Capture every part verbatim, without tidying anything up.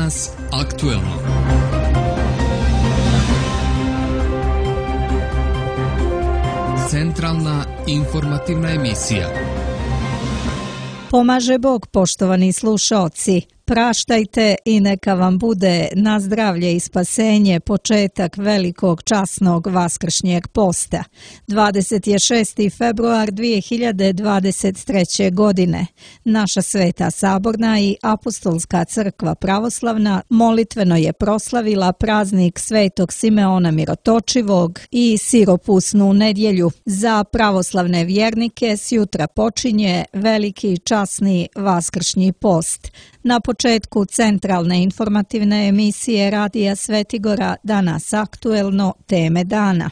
Danas aktuelno. Centralna informativna emisija. Pomaže Bog, poštovani slušaoci. Praštajte i neka vam bude na zdravlje i spasenje početak velikog časnog vaskršnjeg posta. dvadeset šesti februar dvije hiljade dvadeset treće. godine. Naša Sveta Saborna i Apostolska crkva pravoslavna molitveno je proslavila praznik Svetog Simeona Mirotočivog i siropusnu nedjelju. Za pravoslavne vjernike sjutra počinje veliki časni vaskršnji post. Na početku centralne informativne emisije Radija Svetigora Danas aktuelno, teme dana.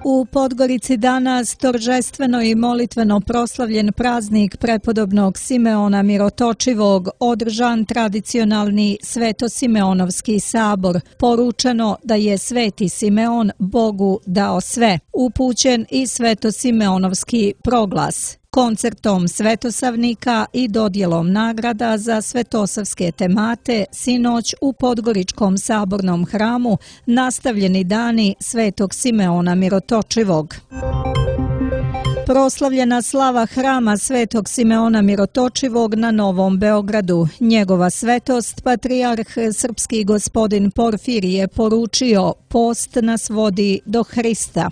U Podgorici danas toržestveno i molitveno proslavljen praznik prepodobnog Simeona Mirotočivog, održan tradicionalni Sveto-Simeonovski sabor. Poručeno da je Sveti Simeon Bogu dao sve. Upućen i Sveto-Simeonovski proglas. Koncertom svetosavnika i dodjelom nagrada za svetosavske temate sinoć u Podgoričkom sabornom hramu nastavljeni dani Svetog Simeona Mirotočivog. Proslavljena slava hrama Svetog Simeona Mirotočivog na Novom Beogradu. Njegova svetost, patrijarh srpski gospodin Porfirije je poručio: post nas vodi do Hrista.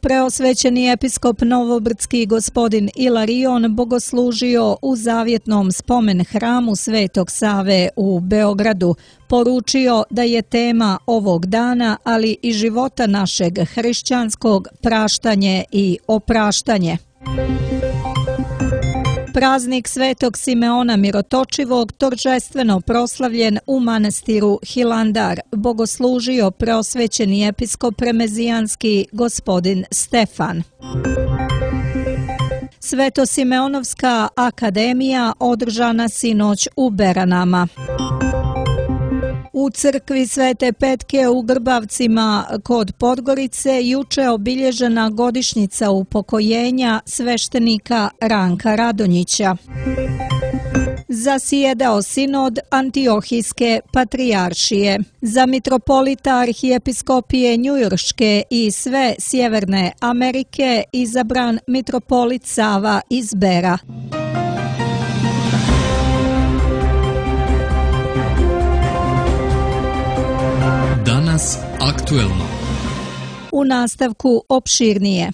Preosvećeni episkop Novobrdski gospodin Ilarion bogoslužio u zavjetnom spomen hramu Svetog Save u Beogradu. Poručio da je tema ovog dana, ali i života našeg hrišćanskog, praštanje i opraštanje. Praznik Svetog Simeona Mirotočivog toržestveno proslavljen u manastiru Hilandar bogoslužio preosvećeni episkop remezijanski gospodin Stefan. Sveto-Simeonovska akademija održana sinoć u Beranama. U crkvi Svete Petke u Grbavcima kod Podgorice juče obilježena godišnjica upokojenja sveštenika Ranka Radonjića. Zasjedao sinod Antiohijske patrijaršije. Za mitropolita arhijepiskopije Njujorške i sve Sjeverne Amerike izabran mitropolit Sava iz Bera. Danas aktuelno. U nastavku opširnije.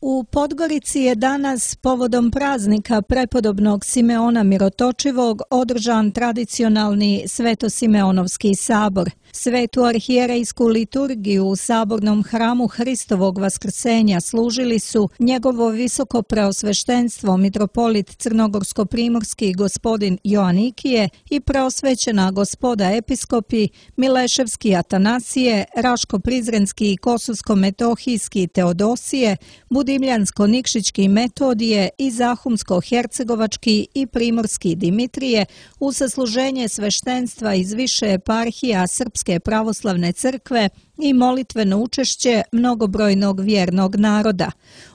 U Podgorici je danas povodom praznika prepodobnog Simeona Mirotočivog održan tradicionalni Sveto-Simeonovski sabor. Svetu arhijerejsku liturgiju u sabornom hramu Hristovog vaskrsenja služili su njegovo visoko preosveštenstvo mitropolit Crnogorsko-primorski gospodin Joanikije i preosvećena gospoda episkopi Mileševski Atanasije, Raško-Prizrenski i Kosovsko-Metohijski Teodosije, Budimljansko-Nikšićki Metodije i Zahumsko-Hercegovački i Primorski Dimitrije u sasluženje sveštenstva iz više eparhija Srpske pravoslavne crkve i molitveno učešće mnogobrojnog vjernog naroda.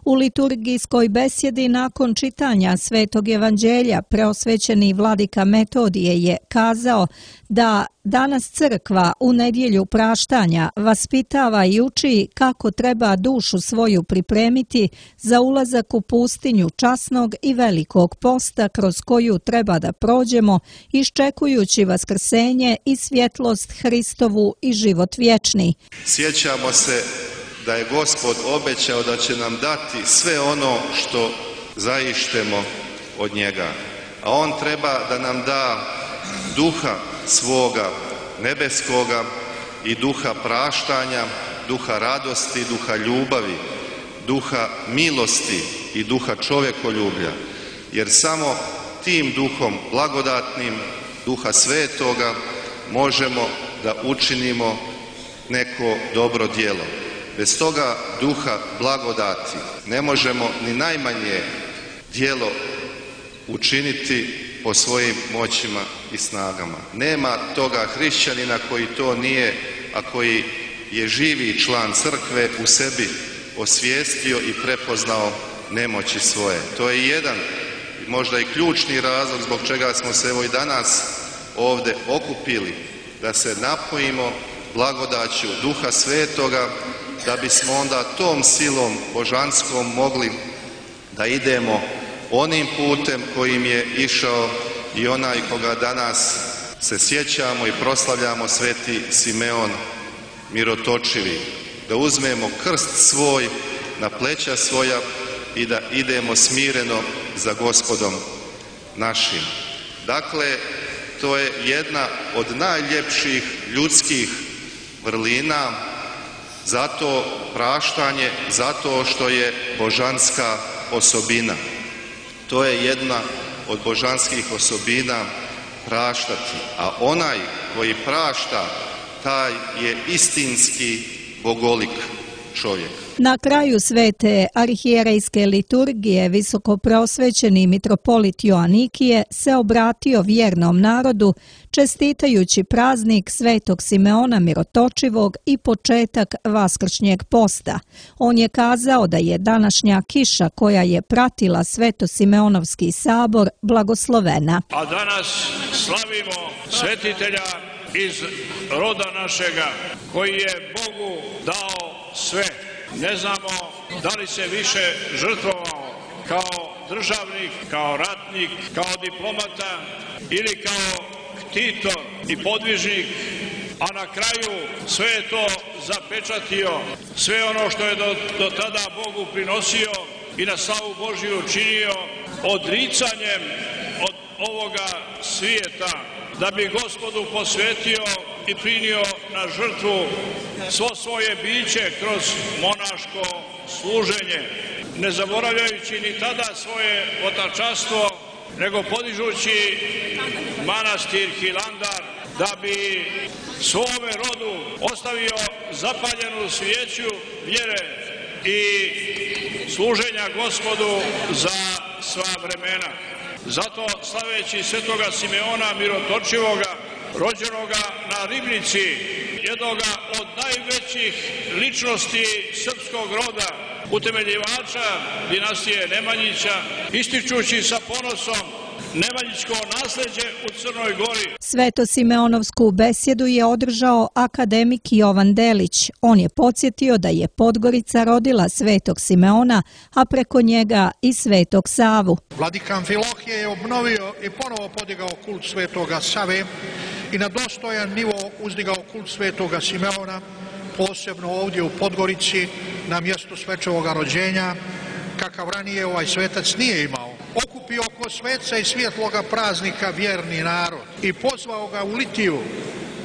U liturgijskoj besjedi nakon čitanja Svetog evanđelja preosvećeni vladika Metodije je kazao da danas crkva u nedjelju praštanja vaspitava i uči kako treba dušu svoju pripremiti za ulazak u pustinju časnog i velikog posta kroz koju treba da prođemo iščekujući vaskrsenje i svjetlost Hristovu i život vječni. Sjećamo se da je Gospod obećao da će nam dati sve ono što zaištemo od njega. A on treba da nam da duha svoga nebeskoga i duha praštanja, duha radosti, duha ljubavi, duha milosti i duha čovjekoljublja. Jer samo tim duhom blagodatnim, duha svetoga, možemo da učinimo neko dobro djelo. Bez toga duha blagodati ne možemo ni najmanje djelo učiniti po svojim moćima i snagama. Nema toga hrišćanina koji to nije, a koji je živi član crkve u sebi osvijestio i prepoznao nemoći svoje. To je jedan, možda i ključni razlog zbog čega smo se evo i danas ovdje okupili, da se napojimo blagodaću Duha Svetoga, da bismo onda tom silom božanskom mogli da idemo onim putem kojim je išao i onaj koga danas se sjećamo i proslavljamo, sveti Simeon Mirotočivi. Da uzmemo krst svoj na pleća svoja i da idemo smireno za Gospodom našim. Dakle, to je jedna od najljepših ljudskih vrlina, zato praštanje, zato što je božanska osobina. To je jedna od božanskih osobina, praštati. A onaj koji prašta, taj je istinski bogolik čovjek. Na kraju svete arhijerejske liturgije visokoprosvećeni mitropolit Joanikije se obratio vjernom narodu čestitajući praznik svetog Simeona Mirotočivog i početak vaskršnjeg posta. On je kazao da je današnja kiša koja je pratila Sveto-Simeonovski sabor blagoslovena. A danas slavimo svetitelja iz roda našega koji je Bogu dao sve. Ne znamo da li se više žrtvovao kao državnik, kao ratnik, kao diplomata ili kao ktitor i podvižnik, a na kraju sve je to zapečatio, sve ono što je do, do tada Bogu prinosio i na slavu Božiju činio odricanjem od ovoga svijeta, da bi Gospodu posvetio i prinio na žrtvu svo svoje biće kroz monaško služenje, ne zaboravljajući ni tada svoje otačanstvo, nego podižući manastir Hilandar, da bi svome rodu ostavio zapaljenu svijeću vjere i služenja Gospodu za sva vremena. Zato slaveći svetoga Simeona Mirotočivoga, rođenoga na Ribnici, jednoga od najvećih ličnosti srpskog roda, utemeljivača dinastije Nemanjića, ističući sa ponosom nemanjićko nasljeđe u Crnoj Gori. Sveto-Simeonovsku besjedu je održao akademik Jovan Delić. On je podsjetio da je Podgorica rodila svetog Simeona, a preko njega i svetog Savu. Vladika Amfilohije je obnovio i ponovo podigao kult svetoga Save i na dostojan nivo uzdigao kult svetoga Simeona, posebno ovdje u Podgorici, na mjestu svečevoga rođenja, kakav ranije ovaj svetac nije imao. Okupio oko sveca i svjetloga praznika vjerni narod i pozvao ga u litiju,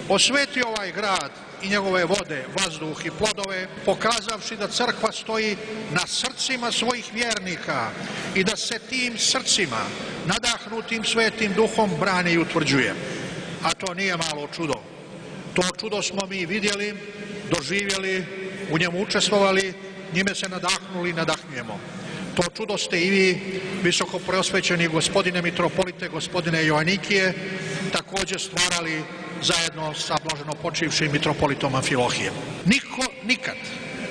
osvetio ovaj grad i njegove vode, vazduh i plodove, pokazavši da crkva stoji na srcima svojih vjernika i da se tim srcima, nadahnutim svetim duhom, brani i utvrđuje. A to nije malo čudo. To čudo smo mi vidjeli, doživjeli, u njemu učestvovali, njime se nadahnuli i nadahnujemo. To čudo ste i vi, visoko preosvećeni gospodine mitropolite, gospodine Joanikije, također stvarali zajedno sa blaženo počivšim mitropolitom Amfilohijem. Niko nikad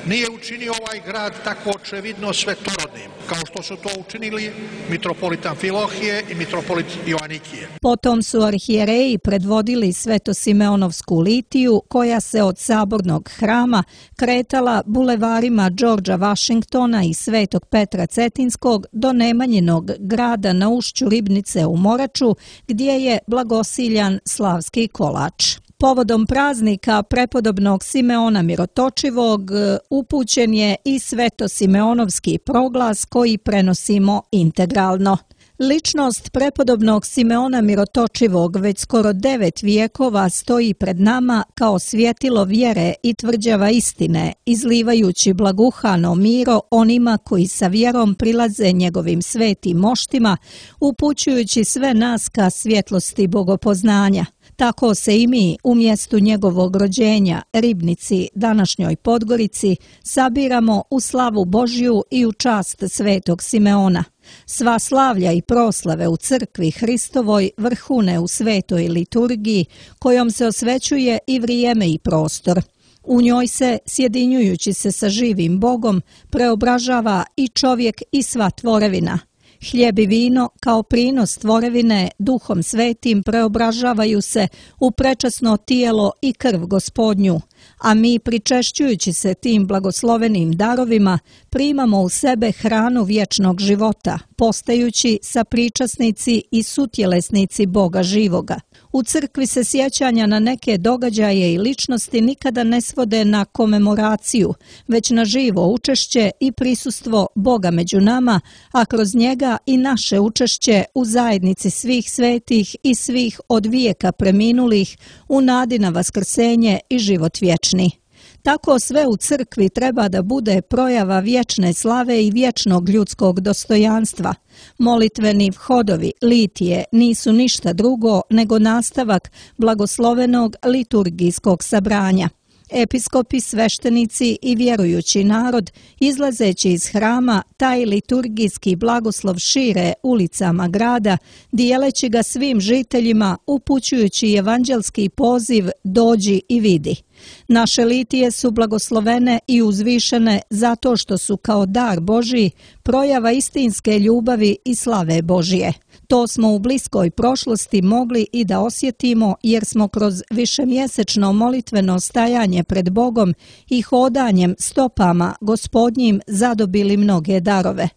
nije učinio ovaj grad tako očevidno svetorodnim, kao što su to učinili mitropolit Amfilohije i mitropolit Joanikije. Potom su arhijereji predvodili Sveto-Simeonovsku litiju, koja se od sabornog hrama kretala bulevarima Đorđa Vašingtona i Svetog Petra Cetinskog do Nemanjinog grada na ušću Ribnice u Moraču, gdje je blagosiljan slavski kolač. Povodom praznika prepodobnog Simeona Mirotočivog upućen je i Sveto-Simeonovski proglas koji prenosimo integralno. Ličnost prepodobnog Simeona Mirotočivog već skoro devet vijekova stoji pred nama kao svjetilo vjere i tvrđava istine, izlivajući blaguhano miro onima koji sa vjerom prilaze njegovim svetim moštima, upućujući sve nas ka svjetlosti bogopoznanja. Tako se i mi u mjestu njegovog rođenja, Ribnici, današnjoj Podgorici, sabiramo u slavu Božju i u čast svetog Simeona. Sva slavlja i proslave u crkvi Hristovoj vrhune u svetoj liturgiji, kojom se osvećuje i vrijeme i prostor. U njoj se, sjedinjujući se sa živim Bogom, preobražava i čovjek i sva tvorevina. Hljeb i vino, kao prinos tvorevine, Duhom Svetim preobražavaju se u prečasno tijelo i krv Gospodnju, a mi, pričešćujući se tim blagoslovenim darovima, primamo u sebe hranu vječnog života, postajući sapričasnici i sutjelesnici Boga živoga. U crkvi se sjećanja na neke događaje i ličnosti nikada ne svode na komemoraciju, već na živo učešće i prisustvo Boga među nama, a kroz njega i naše učešće u zajednici svih svetih i svih od vijeka preminulih u nadi na vaskrsenje i život vječni. Tako sve u crkvi treba da bude projava vječne slave i vječnog ljudskog dostojanstva. Molitveni vhodovi, litije, nisu ništa drugo nego nastavak blagoslovenog liturgijskog sabranja. Episkopi, sveštenici i vjerujući narod, izlazeći iz hrama, taj liturgijski blagoslov šire ulicama grada, dijeleći ga svim žiteljima, upućujući evanđelski poziv dođi i vidi. Naše litije su blagoslovene i uzvišene zato što su kao dar Božji projava istinske ljubavi i slave Božje. To smo u bliskoj prošlosti mogli i da osjetimo jer smo kroz višemjesečno molitveno stajanje pred Bogom i hodanjem stopama Gospodnjim zadobili mnoge darove.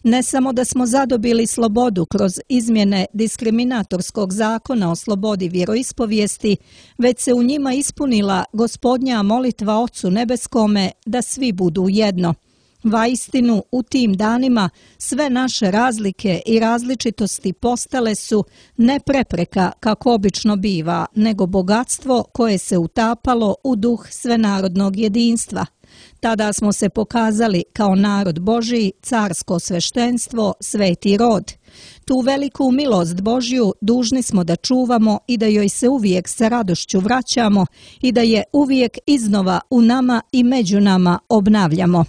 Ne samo da smo zadobili slobodu kroz izmjene diskriminatorskog zakona o slobodi vjeroispovijesti, već se u njima ispunila Gospodnja molitva Ocu nebeskome da svi budu jedno. Vaistinu, u tim danima sve naše razlike i različitosti postale su ne prepreka kako obično biva, nego bogatstvo koje se utapalo u duh svenarodnog jedinstva. Tada smo se pokazali kao narod Božji, carsko sveštenstvo, sveti rod. Tu veliku milost Božju dužni smo da čuvamo i da joj se uvijek sa radošću vraćamo i da je uvijek iznova u nama i među nama obnavljamo.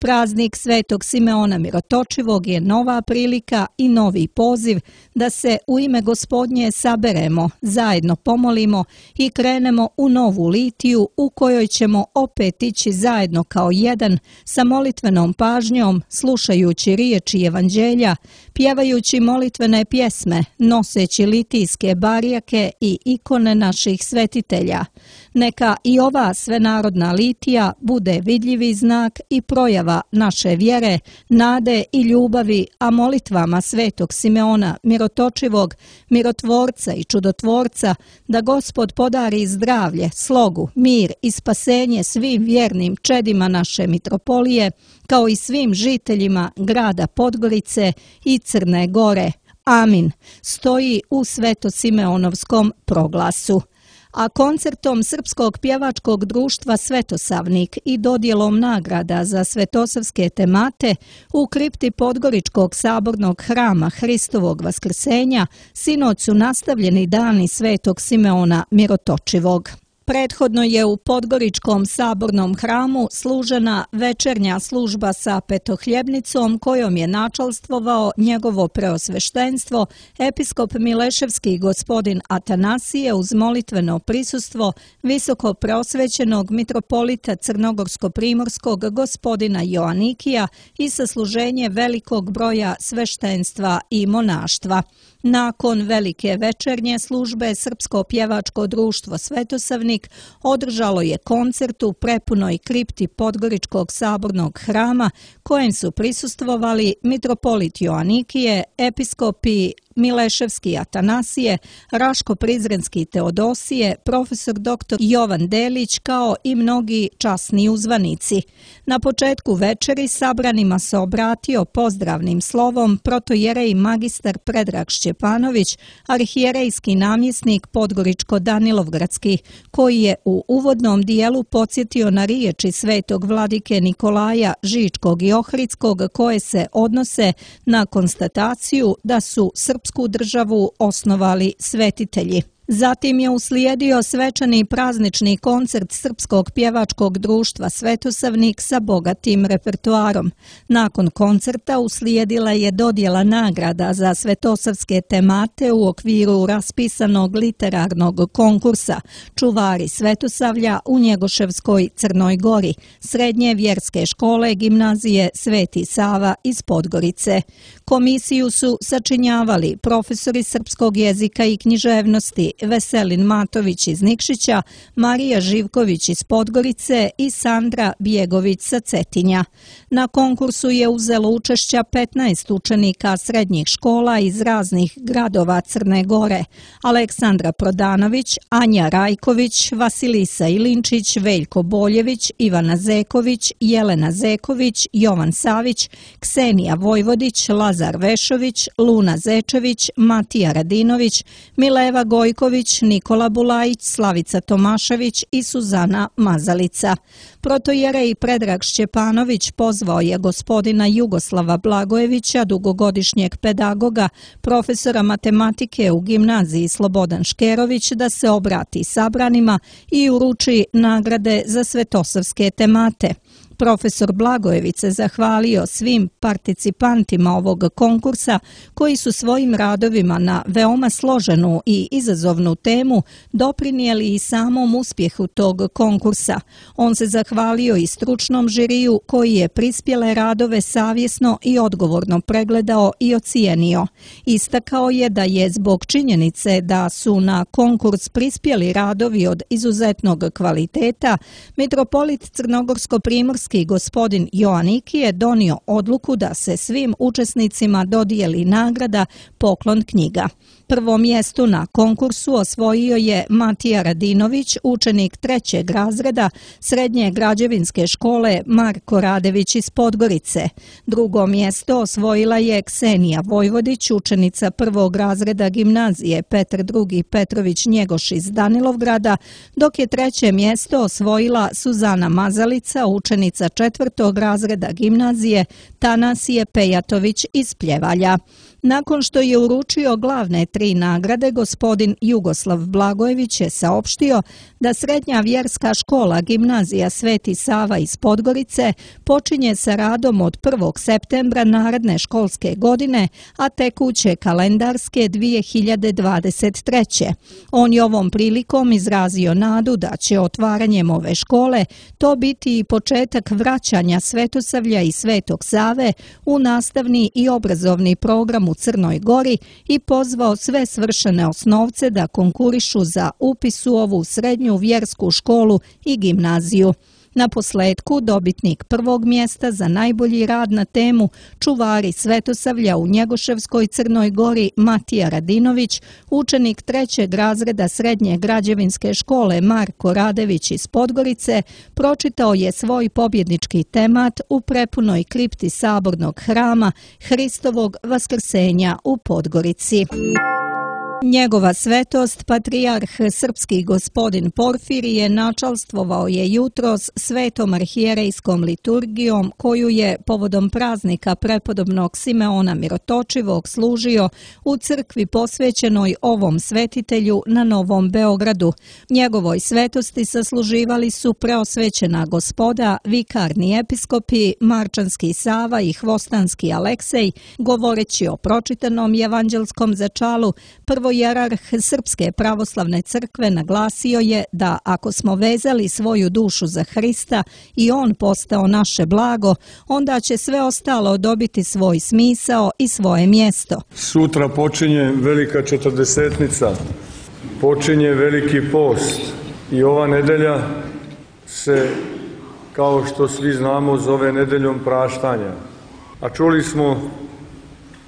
Praznik Svetog Simeona Mirotočivog je nova prilika i novi poziv da se u ime Gospodnje saberemo, zajedno pomolimo i krenemo u novu litiju u kojoj ćemo opet ići zajedno kao jedan sa molitvenom pažnjom, slušajući riječi evanđelja, pjevajući molitvene pjesme, noseći litijske barijake i ikone naših svetitelja. Neka i ova svenarodna litija bude vidljivi znak i projava naše vjere, nade i ljubavi, a molitvama Svetog Simeona Mirotočivog, mirotvorca i čudotvorca, da Gospod podari zdravlje, slogu, mir i spasenje svim vjernim čedima naše mitropolije, kao i svim žiteljima grada Podgorice i Crne Gore. Amin. Stoji u Svetosimeonovskom proglasu. A koncertom Srpskog pjevačkog društva Svetosavnik i dodjelom nagrada za svetosavske temate u kripti Podgoričkog sabornog hrama Hristovog vaskrsenja sinoć su nastavljeni dani Svetog Simeona Mirotočivog. Prethodno je u Podgoričkom sabornom hramu služena večernja služba sa petohljebnicom kojom je načalstvovao njegovo preosveštenstvo episkop Mileševski gospodin Atanasije uz molitveno prisustvo visoko preosvećenog mitropolita Crnogorsko-primorskog gospodina Joanikija i sasluženje velikog broja sveštenstva i monaštva. Nakon velike večernje službe Srpsko pjevačko društvo Svetosavnik održalo je koncert u prepunoj kripti Podgoričkog sabornog hrama kojem su prisustvovali mitropolit Joanikije, episkopi Mileševski Atanasije, Raško-Prizrenski Teodosije, profesor doktor Jovan Delić kao i mnogi časni uzvanici. Na početku večeri sabranima se obratio pozdravnim slovom protojerej magistar Predrag Šćepanović, arhijerejski namjesnik Podgoričko-Danilovgradski, koji je u uvodnom dijelu podsjetio na riječi svetog vladike Nikolaja Žičkog i Ohridskog koje se odnose na konstataciju da su srpsku državu osnovali svetitelji. Zatim je uslijedio svečani praznični koncert Srpskog pjevačkog društva Svetosavnik sa bogatim repertoarom. Nakon koncerta uslijedila je dodjela nagrada za svetosavske temate u okviru raspisanog literarnog konkursa Čuvari Svetosavlja u Njegoševskoj Crnoj Gori, srednje vjerske škole gimnazije Sveti Sava iz Podgorice. Komisiju su sačinjavali profesori srpskog jezika i književnosti Veselin Matović iz Nikšića, Marija Živković iz Podgorice i Sandra Bjegović sa Cetinja. Na konkursu je uzelo učešća petnaest učenika srednjih škola iz raznih gradova Crne Gore: Aleksandra Prodanović, Anja Rajković, Vasilisa Ilinčić, Veljko Boljević, Ivana Zeković, Jelena Zeković, Jovan Savić, Ksenija Vojvodić, Lazar Vešović, Luna Zečević, Matija Radinović, Mileva Gojković, Nikola Bulajić, Slavica Tomašević i Suzana Mazalica. Protojerej Predrag Šćepanović pozvao je gospodina Jugoslava Blagojevića, dugogodišnjeg pedagoga, profesora matematike u gimnaziji Slobodan Škerović, da se obrati sabranima i uruči nagrade za svetosavske temate. Profesor Blagojević se zahvalio svim participantima ovog konkursa koji su svojim radovima na veoma složenu i izazovnu temu doprinijeli i samom uspjehu tog konkursa. On se zahvalio i stručnom žiriju koji je prispjele radove savjesno i odgovorno pregledao i ocijenio. Istakao je da je zbog činjenice da su na konkurs prispjeli radovi od izuzetnog kvaliteta, mitropolit Crnogorsko-primorski gospodin Joaniki je donio odluku da se svim učesnicima dodijeli nagrada Poklon knjiga. Prvo mjesto na konkursu osvojio je Matija Radinović, učenik trećeg razreda srednje građevinske škole Marko Radević iz Podgorice. Drugo mjesto osvojila je Ksenija Vojvodić, učenica prvog razreda gimnazije Petar drugi Petrović Njegoš iz Danilovgrada, dok je treće mjesto osvojila Suzana Mazalica, učenica četvrtog razreda gimnazije Tanasije Pejatović iz Pljevalja. Nakon što je uručio glavne tri nagrade, gospodin Jugoslav Blagojević je saopštio da srednja vjerska škola gimnazija Sveti Sava iz Podgorice počinje sa radom od prvog septembra naredne školske godine, a tekuće kalendarske dvije hiljade dvadeset treće. On je ovom prilikom izrazio nadu da će otvaranjem ove škole to biti i početak vraćanja Svetosavlja i Svetog Save u nastavni i obrazovni program u Crnoj Gori i pozvao sve svršene osnovce da konkurišu za upis u ovu srednju vjersku školu i gimnaziju. Na posledku dobitnik prvog mjesta za najbolji rad na temu Čuvari Svetosavlja u Njegoševskoj Crnoj Gori Matija Radinović, učenik trećeg razreda srednje građevinske škole Marko Radević iz Podgorice, pročitao je svoj pobjednički temat u prepunoj kripti sabornog hrama Hristovog vaskrsenja u Podgorici. Njegova svetost, patrijarh srpski gospodin Porfirije, načalstvovao je jutros svetom arhijerejskom liturgijom koju je povodom praznika prepodobnog Simeona Mirotočivog služio u crkvi posvećenoj ovom svetitelju na Novom Beogradu. Njegovoj svetosti sasluživali su preosvećena gospoda, vikarni episkopi, Marčanski Sava i Hvostanski Aleksej, govoreći o pročitanom evanđelskom začalu. Prvo Jerarh Srpske pravoslavne crkve naglasio je da ako smo vezali svoju dušu za Hrista i on postao naše blago, onda će sve ostalo dobiti svoj smisao i svoje mjesto. Sutra počinje velika četrdesetnica, počinje veliki post i ova nedelja se, kao što svi znamo, zove nedeljom praštanja. A čuli smo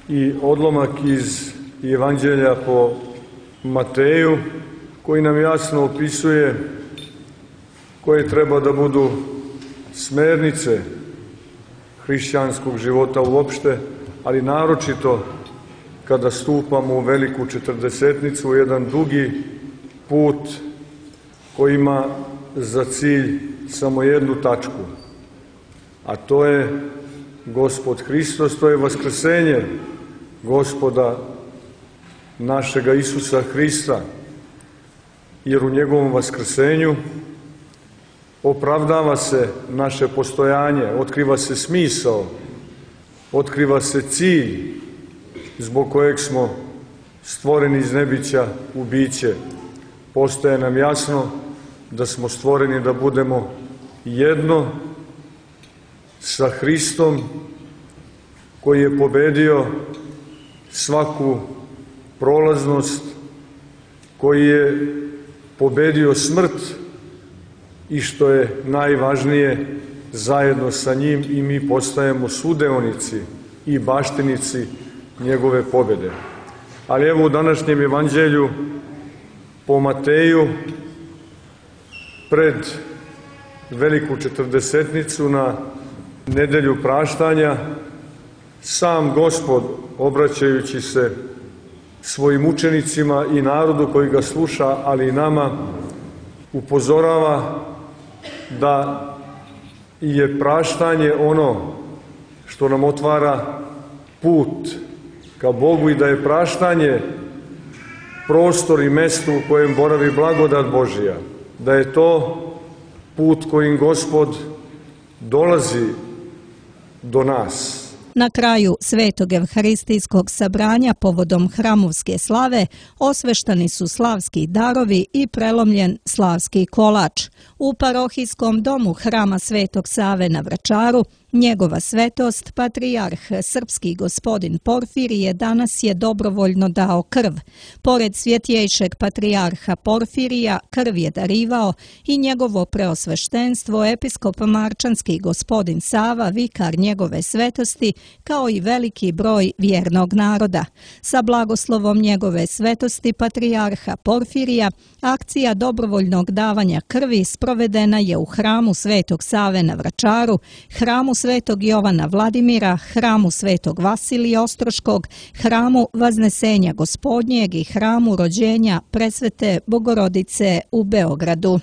i odlomak iz Evanđelja po Mateju, koji nam jasno opisuje koje treba da budu smernice hrišćanskog života uopšte, ali naročito kada stupamo u veliku četrdesetnicu, u jedan dugi put koji ima za cilj samo jednu tačku, a to je Gospod Hristos, to je vaskrsenje Gospoda našega Isusa Hrista. jer u njegovom vaskrsenju opravdava se naše postojanje, otkriva se smisao, otkriva se cilj zbog kojeg smo stvoreni iz nebića u biće. Postaje nam jasno da smo stvoreni da budemo jedno sa Hristom koji je pobedio svaku prolaznost, koji je pobedio smrt i što je najvažnije, zajedno sa njim i mi postajemo sudeonici i baštinici njegove pobede. Ali evo u današnjem evanđelju po Mateju pred veliku četrdesetnicu na nedelju praštanja sam Gospod, obraćajući se svojim učenicima i narodu koji ga sluša, ali i nama, upozorava da je praštanje ono što nam otvara put ka Bogu i da je praštanje prostor i mesto u kojem boravi blagodat Božija, da je to put kojim Gospod dolazi do nas. Na kraju Svetog evharistijskog sabranja povodom hramovske slave osveštani su slavski darovi i prelomljen slavski kolač. U parohijskom domu hrama Svetog Save na Vračaru njegova svetost, patrijarh srpski gospodin Porfirije, danas je dobrovoljno dao krv. Pored svjetjejšeg patrijarha Porfirija, krv je darivao i njegovo preosveštenstvo, episkop marčanski gospodin Sava, vikar njegove svetosti, kao i veliki broj vjernog naroda. Sa blagoslovom njegove svetosti, patrijarha Porfirija, akcija dobrovoljnog davanja krvi sprovedena je u hramu Svetog Save na Vračaru, hramu Svetog Jovana Vladimira, hramu Svetog Vasilija Ostroškog, hramu Vaznesenja Gospodnjeg i hramu rođenja Presvete Bogorodice u Beogradu.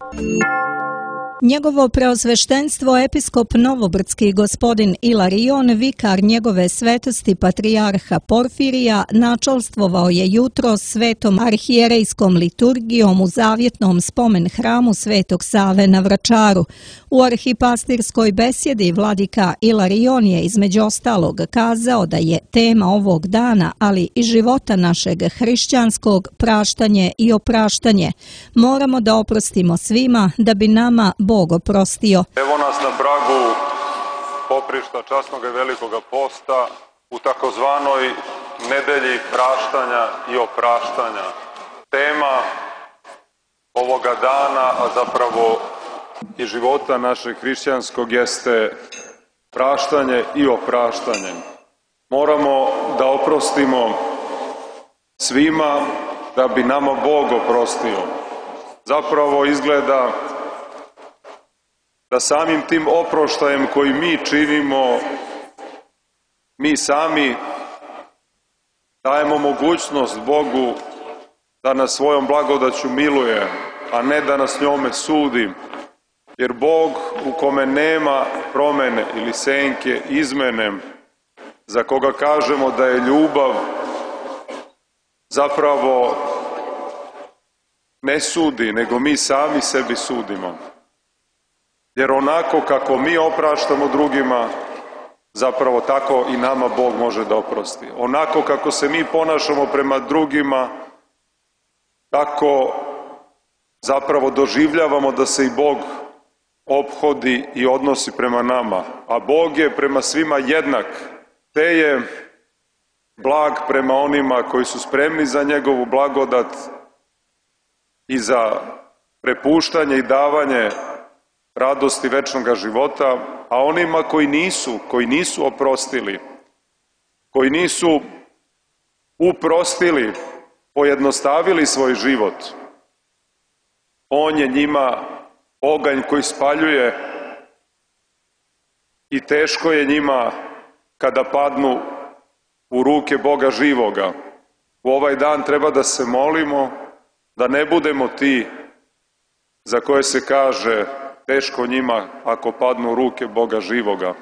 Njegovo preosveštenstvo episkop novobrdski gospodin Ilarion, vikar njegove svetosti patrijarha Porfirija, načelstvovao je jutro svetom arhijerejskom liturgijom u zavjetnom spomen hramu Svetog Save na Vračaru. U arhipastirskoj besjedi vladika Ilarion je između ostalog kazao da je tema ovog dana, ali i života našeg hrišćanskog, praštanje i opraštanje. Moramo da oprostimo svima da bi nama Bog oprostio. Evo nas na pragu poprišta časnog i velikoga posta u takozvanoj nedelji praštanja i opraštanja. Tema ovoga dana, a zapravo i života našeg hrišćanskog, jeste praštanje i opraštanje. Moramo da oprostimo svima da bi nama Bog oprostio. Zapravo izgleda da samim tim oproštajem koji mi činimo, mi sami dajemo mogućnost Bogu da nas svojom blagodaću miluje, a ne da nas njome sudi. Jer Bog, u kome nema promene ili senke, izmene, za koga kažemo da je ljubav, zapravo ne sudi, nego mi sami sebi sudimo. Jer onako kako mi opraštamo drugima, zapravo tako i nama Bog može da oprosti. Onako kako se mi ponašamo prema drugima, tako zapravo doživljavamo da se i Bog ophodi i odnosi prema nama. A Bog je prema svima jednak, te je blag prema onima koji su spremni za njegovu blagodat i za prepuštanje i davanje radosti večnog života, a onima koji nisu, koji nisu oprostili, koji nisu uprostili, pojednostavili svoj život, on je njima oganj koji spaljuje i teško je njima kada padnu u ruke Boga živoga. U ovaj dan treba da se molimo da ne budemo ti za koje se kaže teško njima ako padnu u ruke Boga živoga.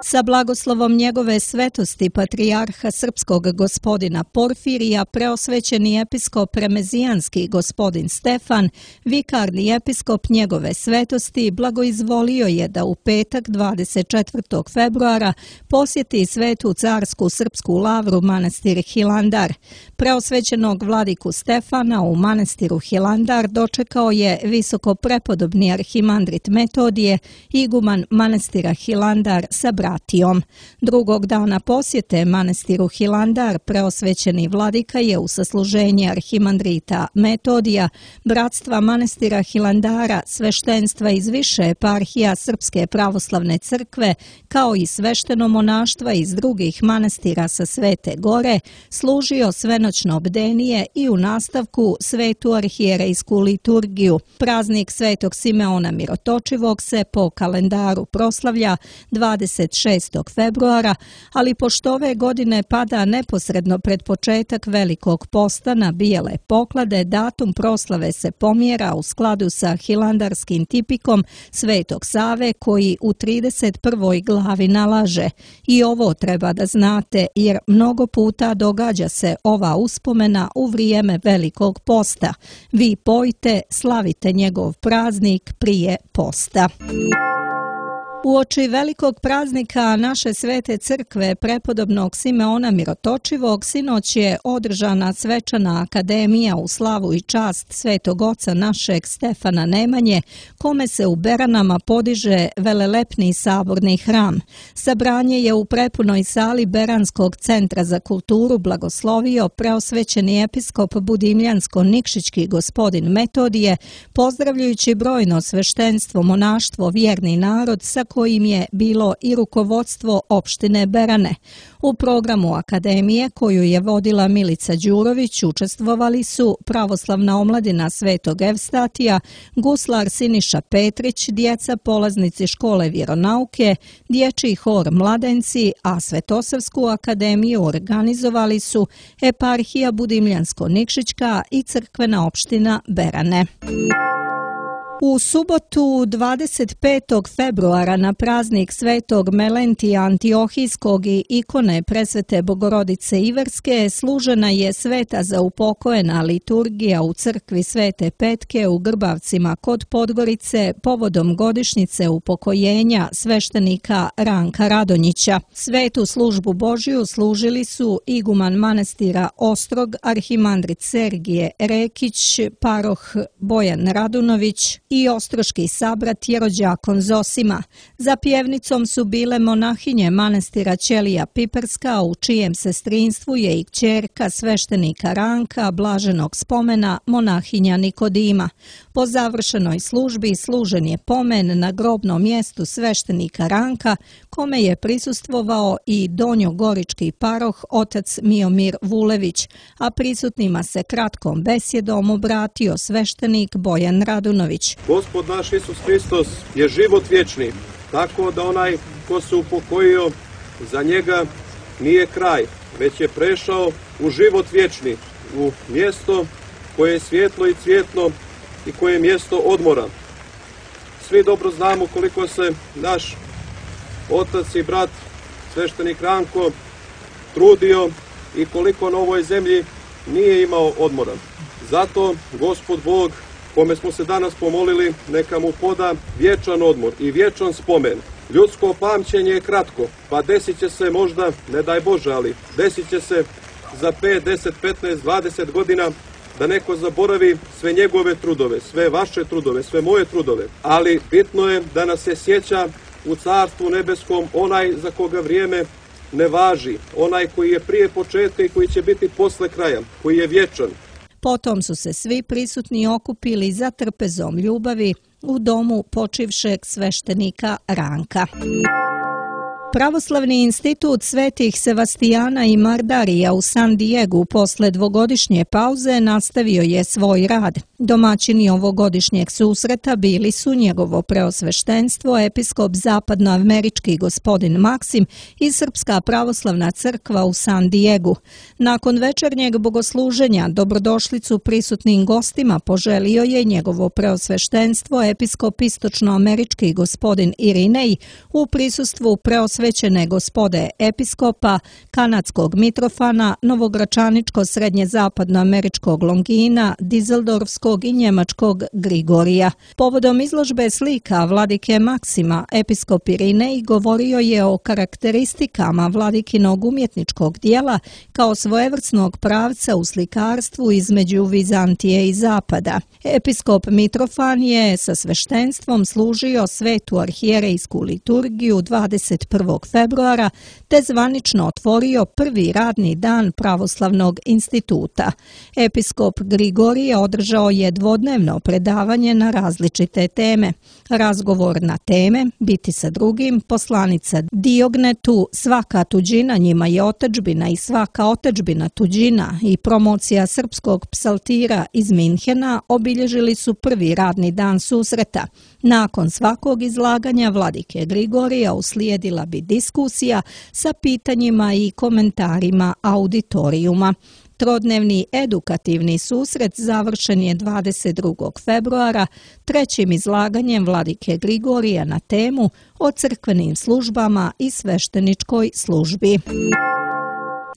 Sa blagoslovom njegove svetosti patrijarha srpskog gospodina Porfirija, preosvećeni episkop remezijanski gospodin Stefan, vikarni episkop njegove svetosti, blagoizvolio je da u petak dvadeset četvrtog februara posjeti Svetu carsku srpsku lavru manastir Hilandar. Preosvećenog vladiku Stefana u manastiru Hilandar dočekao je visoko prepodobni arhimandrit Metodije, iguman manastira Hilandar sa bratijom. Drugog dana posjete manastiru Hilandar preosvećeni vladika je u sasluženje arhimandrita Metodija, bratstva manastira Hilandara, sveštenstva iz više eparhija Srpske pravoslavne crkve, kao i svešteno monaštva iz drugih manastira sa Svete Gore, služio svenoćno bdenije i u nastavku svetu arhijerejsku liturgiju. Praznik Svetog Simeona Mirotočivog se po kalendaru proslavlja dvadeset šestog februara, ali pošto ove godine pada neposredno pred početak Velikog posta na bijele poklade, datum proslave se pomjera u skladu sa hilandarskim tipikom Svetog Save koji u trideset prvoj glavi nalaže: i ovo treba da znate, jer mnogo puta događa se ova uspomena u vrijeme Velikog posta. Vi pojte, slavite njegov praznik prije posta. Uoči velikog praznika naše svete crkve prepodobnog Simeona Mirotočivog sinoć je održana svečana akademija u slavu i čast svetog oca našeg Stefana Nemanje, kome se u Beranama podiže velelepni saborni hram. Sabranje je u prepunoj sali Beranskog centra za kulturu blagoslovio preosvećeni episkop Budimljansko-Nikšićki gospodin Metodije, pozdravljajući brojno sveštenstvo, monaštvo, vjerni narod sa kojim je bilo i rukovodstvo opštine Berane. U programu akademije, koju je vodila Milica Đurović, učestvovali su pravoslavna omladina Svetog Evstatija, guslar Siniša Petrić, djeca polaznici škole vjeronauke, dječji hor Mladenci, a Svetosavsku akademiju organizovali su eparhija Budimljansko-Nikšićka i crkvena opština Berane. U subotu dvadeset petog februara na praznik Svetog Melentija Antiohijskog i ikone Presvete Bogorodice Iverske služena je sveta zaupokojena liturgija u crkvi Svete Petke u Grbavcima kod Podgorice povodom godišnjice upokojenja sveštenika Ranka Radonjića. Svetu službu Božiju služili su iguman manastira Ostrog, arhimandrit Sergije Rekić, paroh Bojan Radunović i ostroški sabrat jerođakon Zosima. Za pjevnicom su bile monahinje manastira Ćelija Piperska, u čijem sestrinstvu je i kćerka sveštenika Ranka, blaženog spomena, monahinja Nikodima. Po završenoj službi služen je pomen na grobnom mjestu sveštenika Ranka, kome je prisustvovao i donjogorički paroh otac Miomir Vulević, a prisutnima se kratkom besjedom obratio sveštenik Bojan Radunović. Gospod naš Isus Hristos je život vječni, tako da onaj ko se upokojio, za njega nije kraj, već je prešao u život vječni, u mjesto koje je svjetlo i cvjetno i koje je mjesto odmora. Svi dobro znamo koliko se naš otac i brat, sveštenik Ranko, trudio i koliko na ovoj zemlji nije imao odmora. Zato Gospod Bog, kome smo se danas pomolili, neka mu poda vječan odmor i vječan spomen. Ljudsko pamćenje je kratko, pa desit će se možda, ne daj Bože, ali desit će se za pet, deset, petnaest, dvadeset godina da neko zaboravi sve njegove trudove, sve vaše trudove, sve moje trudove. Ali bitno je da nas se sjeća u Carstvu nebeskom onaj za koga vrijeme ne važi, onaj koji je prije početka i koji će biti posle kraja, koji je vječan. Potom su se svi prisutni okupili za trpezom ljubavi u domu počivšeg sveštenika Ranka. Pravoslavni institut Svetih Sevastijana i Mardarija u San Diegu posle dvogodišnje pauze nastavio je svoj rad. Domaćini ovogodišnjeg susreta bili su njegovo preosveštenstvo, episkop zapadnoamerički gospodin Maksim i Srpska pravoslavna crkva u San Diegu. Nakon večernjeg bogosluženja dobrodošlicu prisutnim gostima poželio je njegovo preosveštenstvo, episkop istočnoamerički gospodin Irinej u prisustvu preosvećene gospode episkopa, kanadskog Mitrofana, novogračaničko-srednje zapadnoameričkog Longina, Dizeldorfskog i njemačkog Grigorija. Povodom izložbe slika vladike Maksima, episkop Irinej govorio je o karakteristikama vladikinog umjetničkog dijela kao svojevrsnog pravca u slikarstvu između Vizantije i Zapada. Episkop Mitrofan je sa sveštenstvom služio svetu arhijerejsku liturgiju dvadeset prvog februara te zvanično otvorio prvi radni dan Pravoslavnog instituta. Episkop Grigorije održao je dvodnevno predavanje na različite teme. Razgovor na teme Biti sa drugim, poslanica Diognetu, svaka tuđina njima je otadžbina i svaka otadžbina tuđina i promocija srpskog psaltira iz Minhena obilježili su prvi radni dan susreta. Nakon svakog izlaganja vladike Grigorija uslijedila bi diskusija sa pitanjima i komentarima auditorijuma. Trodnevni edukativni susret završen je dvadeset drugog februara trećim izlaganjem vladike Grigorija na temu o crkvenim službama i svešteničkoj službi.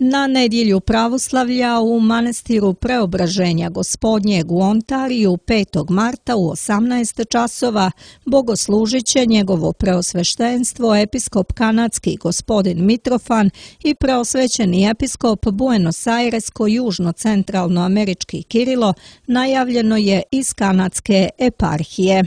Na nedjelju pravoslavlja u manastiru Preobraženja Gospodnjeg u Ontariju petog marta u osamnaest časova bogoslužit će njegovo preosveštenstvo episkop kanadski gospodin Mitrofan i preosvećeni episkop Buenos Airesko-južno-centralnoamerički Kirilo, najavljeno je iz kanadske eparhije.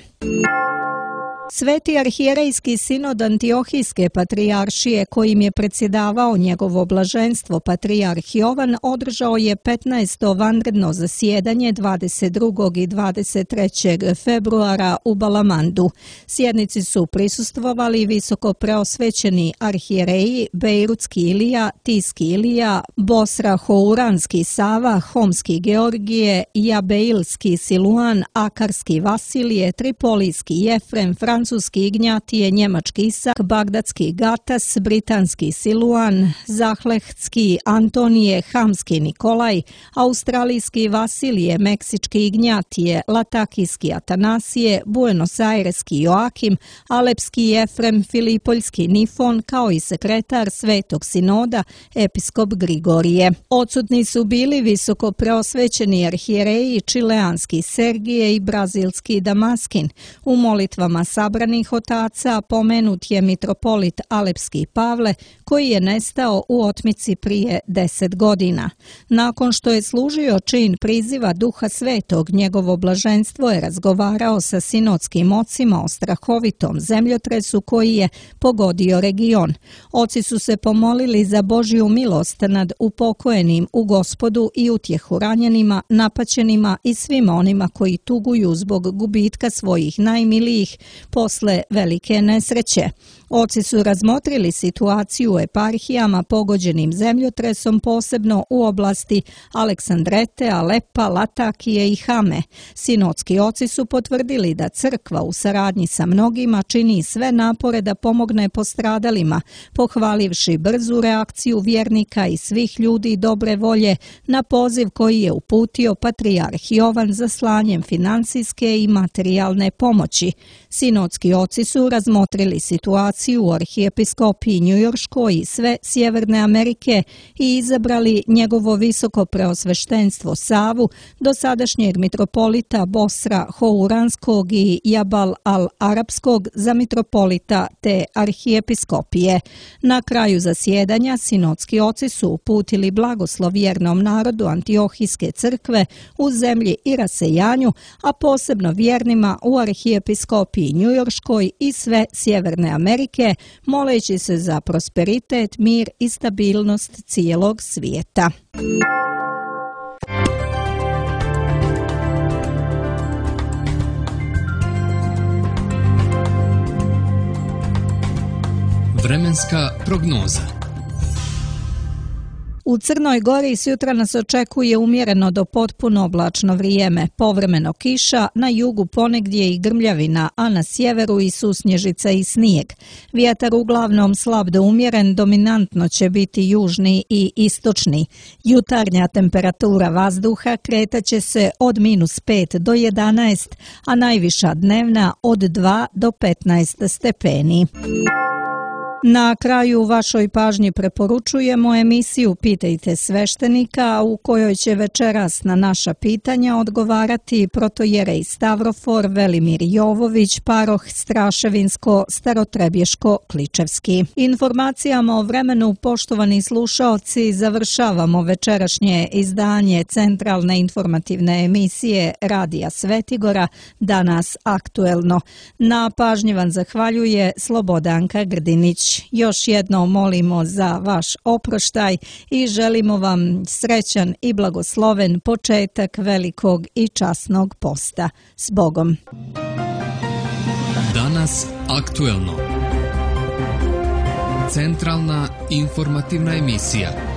Sveti arhijerejski sinod Antiohijske patrijaršije kojim je predsjedavao njegovo blaženstvo patrijarh Jovan održao je petnaesto vanredno zasjedanje dvadeset drugog i dvadeset trećeg februara u Balamandu. Sjednici su prisustvovali visoko preosvećeni arhijereji Bejrutski Ilija, Tiski Ilija, Bosra Houranski Sava, Homski Georgije, Jabeilski Siluan, Akarski Vasilije, Tripolijski Jefrem, francuski Ignjatije, njemački Isak, bagdadski Gatas, britanski Siluan, Zahlehtski Antonije, Hamski Nikolaj, australijski Vasilije, meksički Ignjatije, latakijski Atanasije, Buenos Aireski Joakim, alepski Jefrem, filipoljski Nifon, kao i sekretar Svetog sinoda, episkop Grigorije. Odsutni su bili visoko preosvećeni arhijereji čileanski Sergije i brazilski Damaskin. U molitvama sabranih otaca pomenut je mitropolit alepski Pavle, koji je nestao u otmici prije deset godina. Nakon što je služio čin priziva Duha Svetog, njegovo blaženstvo je razgovarao sa sinodskim ocima o strahovitom zemljotresu koji je pogodio region. Oci su se pomolili za Božju milost nad upokojenim u Gospodu i utjehu ranjenima, napaćenima i svima onima koji tuguju zbog gubitka svojih najmilijih posle velike nesreće. Oci su razmotrili situaciju u eparhijama pogođenim zemljotresom, posebno u oblasti Aleksandrete, Alepa, Latakije i Hame. Sinodski oci su potvrdili da crkva u saradnji sa mnogima čini sve napore da pomogne postradalima, pohvalivši brzu reakciju vjernika i svih ljudi dobre volje na poziv koji je uputio patrijarh Jovan za slanjem financijske i materijalne pomoći. Sinodski oci su razmotrili situaciju u arhijepiskopiji njujorškoj i sve Sjeverne Amerike i izabrali njegovo visoko preosveštenstvo Savu, dosadašnjeg mitropolita Bosra Houranskog i Jabal al-Arapskog za mitropolita te arhijepiskopije. Na kraju zasjedanja sinodski oci su uputili blagoslov vjernom narodu Antiohijske crkve u zemlji i rasejanju, a posebno vjernima u arhijepiskopiji njujorškoj i sve Sjeverne Amerike, moleći se za prosperitet, mir i stabilnost cijelog svijeta. Vremenska prognoza. U Crnoj Gori sutra nas očekuje umjereno do potpuno oblačno vrijeme, povremeno kiša, na jugu ponegdje i grmljavina, a na sjeveru i susnježica i snijeg. Vjetar uglavnom slab do umjeren, dominantno će biti južni i istočni. Jutarnja temperatura vazduha kretaće se od minus pet do jedanaest, a najviša dnevna od dva do petnaest stepeni. Na kraju vašoj pažnji preporučujemo emisiju Pitajte sveštenika, u kojoj će večeras na naša pitanja odgovarati protojerej Stavrofor Velimir Jovović, paroh Straševinsko-Starotrebješko-Kličevski. Informacijama o vremenu, poštovani slušaoci, završavamo večerašnje izdanje centralne informativne emisije Radija Svetigora, Danas aktuelno. Na pažnji vam zahvaljuje Slobodanka Grdinić. Još jednom molimo za vaš oproštaj i želimo vam srećan i blagosloven početak velikog i časnog posta. S Bogom! Danas aktuelno. Centralna informativna emisija.